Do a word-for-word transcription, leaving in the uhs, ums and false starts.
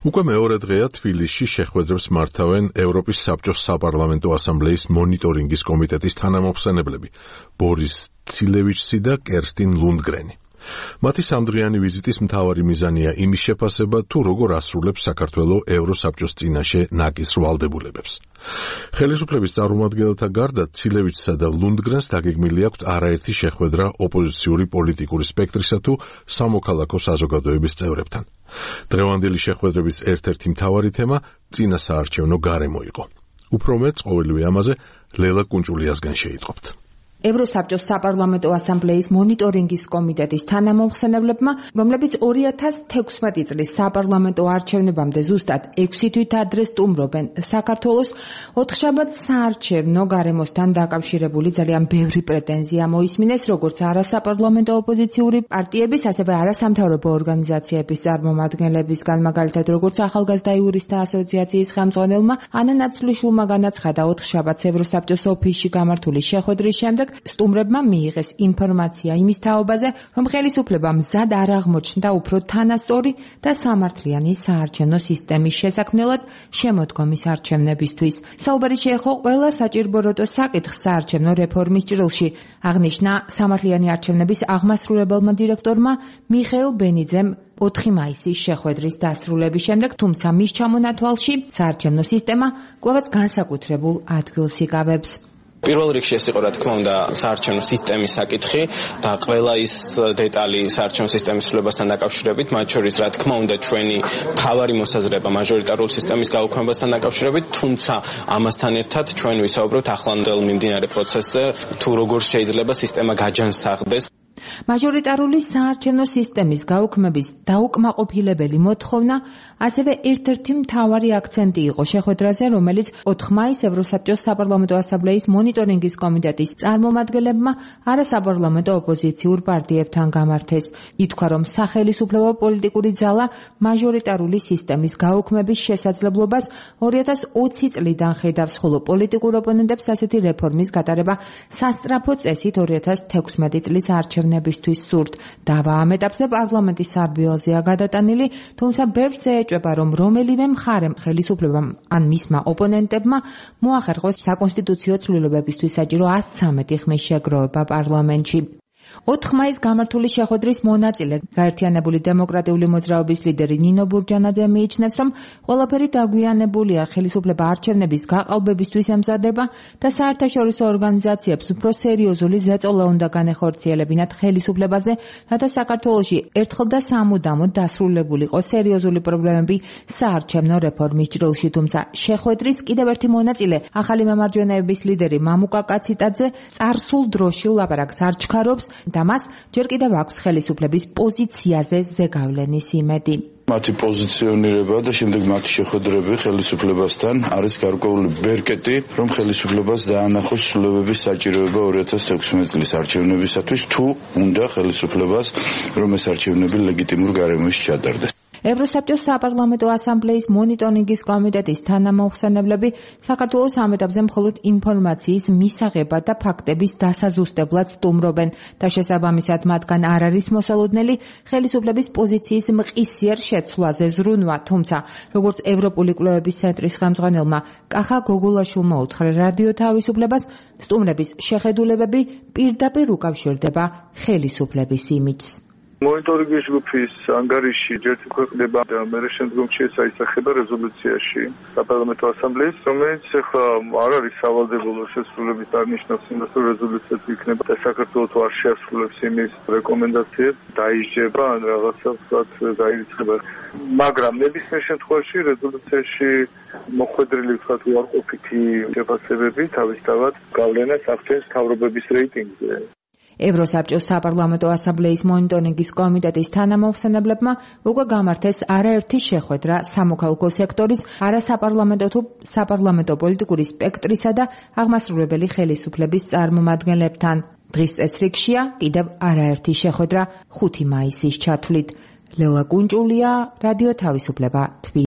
უკვე მეორე დღეა თბილისში შეხვედრებს მართავენ ევროპის საბჭოს საპარლამენტო ასამბლეის მონიტორინგის კომიტეტის თანამოხსენებლები ბორის ცილევიჩსი და კერსტინ ლუნდგრენი. მათი სამდღიანი ვიზიტის მთავარი მიზანია იმის შეფასება, თუ როგორ ასრულებს საქართველო ევროსაბჭოს წინაშე ნაკის ვალდებულებებს. ხელისუფლების წარმომადგენელთა გარდა ცილევიჩსა და ლუნდგრენს დაგეგმილი აქვთ არაერთი შეხვედრა ოპოზიციური პოლიტიკური სპექტრისა თუ სამოქალაქო საზოგადოების წევრებთან. დღევანდელი შეხვედრების ერთ-ერთი მთავარი თემა წინასაარჩევნო გარემო იყო. უფრო მეტ ყოველივე ამაზე ლელა კუნჭულიასგან შეიტყობთ. ევროსაბჭოს საპარლამენტო ასამბლეის მონიტორინგის კომიტეტის თანამოხსენებლებმა, რომლებიც ორი ათას თექვსმეტი წლის საპარლამენტო არჩევნებამდე ზუსტად ექვსი თვით ადრე სტუმრობენ საქართველოს, ოთხშაბათს საარჩევნო გარემოსთან დაკავშირებული ძალიან ბევრი პრეტენზია მოისმინეს, როგორც არასაპარლამენტო ოპოზიციური პარტიების, ასევე არასამთავრობო ორგანიზაციების წარმომადგენლებისგან, მაგალითად როგორც ახალგაზრდა იურისტთა ასოციაციის ხელმძღვანელმა ანა ნაცვლიშვილმა განაცხადა ოთხშაბათს ევროსაბჭოს ოფისში გამართული შეხვედრის შემდეგ სტუმრებმა მიიღეს ინფორმაცია იმის თაობაზე, რომ ხელისუფლება მზად არ აღმოჩნდა უფრო თანასწორი და სამართლიანი საარჩევნო სისტემის შესაქმნელად შემოდგომის არჩევნებისთვის. საუბარი შეეხო ყველა საჭირბოროტო საკითხს საარჩევნო რეფორმის ჭრილში, აღნიშნა სამართლიანი არჩევნების აღმასრულებელმა დირექტორმა მიხეილ ბენიძემ ოთხი მაისის შეხვედრის დასრულების შემდეგ, თუმცა მის ჩამონათვალში საარჩევნო სისტემა კვლავაც განსაკუთრებულ ადგილს იკავებს. პირველ რიგში ეს იყო, რა თქმა უნდა, საარჩევნო სისტემის საკითხი და ყველა ის დეტალი საარჩევნო სისტემის ცვლილებასთან დაკავშირებით, მათ შორის, რა თქმა უნდა, ჩვენი მთავარი მოსაზრება მაჟორიტარული სისტემის გაუქმებასთან დაკავშირებით, თუმცა ამასთან ერთად ჩვენ ვისაუბრებთ ახლანდელ მიმდინარე პროცესზე, თუ როგორ შეიძლება სისტემა გაჯანსაღდეს. მაჟორიტარული საარჩევნო სისტემის გაუქმების დაუკმაყოფილებელი მოთხოვნა ასევე ერთ-ერთი მთავარი აქცენტი იყო შეხვედრაზე, რომელიც ოთხ მაისს ევროსაბჭოს საპარლამენტო ასამბლეის მონიტორინგის კომიტეტის წარმომადგენლებმა არასაპარლამენტო ოპოზიციურ პარტიებთან გამართეს. ითქვა, რომ სახელისუფლებო პოლიტიკური ძალა მაჟორიტარული სისტემის გაუქმების შესაძლებლობას ორი ათას ოცი წლიდან ხედავს, ხოლო პოლიტიკურ ოპონენტებს ასეთი რეფორმის გატარება სასწრაფო წესით ორი ათას თექვსმეტი წლის არჩევნებისთვის სურთ. დავა ამ ეტაპზე პარლამენტის სარბიელზეა გადატანილი, თუმცა ბევრს ეჭვება, რომ რომელიმე მხარემ, ხელისუფლებამ ან მისმა ოპონენტებმა მოახერხოს საკონსტიტუციო ცვლილებებისთვის საჭირო ას ცხრამეტი ხმის შეგროვება პარლამენტში. ოთხ მაისს გამართული შეხვედრის მონაწილე, გაერთიანებული დემოკრატიული მოძრაობის ლიდერი ნინო ბურჯანაძე მიიჩნევს, რომ ყველაფერი დაგვიანებულია, ხელისუფლება არჩევნების გაყალბებისთვის ემზადება და საერთაშორისო ორგანიზაციებს უფრო სერიოზული ზეწოლა უნდა განეხორციელებინათ ხელისუფლებაზე, რათა საქართველოში ერთხელ და სამუდამოდ დასრულებულიყო სერიოზული პრობლემები საარჩევნო რეფორმის ჭრილში. თუმცა შეხვედრის კიდევ ერთი მონაწილე, ახალი მემარჯვენეების ლიდერი მამუკა კაციტაძე წარსულ დროში ლაპარაკს არ ჩქარობს და მას ჯერ კიდევ აქვს ხელისუფლების პოზიციაზე ზეგავლენის იმედი. მათი პოზიციონირება და შემდეგ მათი შეხვედრები ხელისუფლებასთან არის გარკვეული ბერკეტი, რომ ხელისუფლებას დაანახოს ცვლილებების საჭიროება ორი ათას თექვსმეტი წლის არჩევნებისათვის, თუ უნდა ხელისუფლებას, რომ ეს არჩევნები ლეგიტიმურ გარემოში ჩატარდეს. ევროსაბჭოს საპარლამენტო ასამბლეის მონიტორინგის კომიტეტის თანამოხსენებლები საქართველოს ამ ეტაპზე მხოლოდ ინფორმაციის მისაღებად და ფაქტების დასაზუსტებლად სტუმრობენ და შესაბამისად მათგან არ არის მოსალოდნელი ხელისუფლების პოზიციის მყისიერ შეცვლაზე ზრუნვა. თუმცა, როგორც ევროპული კვლევების ცენტრის ხელმძღვანელმა კახა გოგოლაშვილმა უთხრა რადიო თავისუფლებას, სტუმრების შეხედულებები პირდაპირ უკავშირდება ხელისუფლების იმიჯს. მონიტორინგის ჯგუფის ანგარიში ჯერ ქვეყნდება და მერე შემდგომში აისახება რეზოლუციაში საპარლამენტო ასამბლეის, რომელიც ახლა არ არის სავალდებულო შესრულების არნიშნავს იმას, რომ რეზოლუციაც იქნება და საქართველოს არ შეასრულებს იმის რეკომენდაციებს, დაიჯება ან რაღაცა ვთქვათ დაირიცხება. მაგრამ ნებისმიერ შემთხვევაში რეზოლუციაში მოხვედრილი ვთქვათ უარყოფითი შეფასებები თავისთავად გავლენას ახდენს მთავრობების რეიტინგზე. ევროსაბჭოს საპარლამენტო ასამბლეის მონიტორინგის კომიტეტის თანამოხსენებლებმა უკვე გამართეს არაერთი შეხვედრა სამოქალაქო სექტორის, არასაპარლამენტო თუ საპარლამენტო პოლიტიკური სპექტრისა და აღმასრულებელი ხელისუფლების წარმომადგენლებთან. დღის წესრიგშია კიდევ არაერთი შეხვედრა ხუთი მაისის ჩათვლით. ლელა კუნჭულია, რადიო თავისუფლება.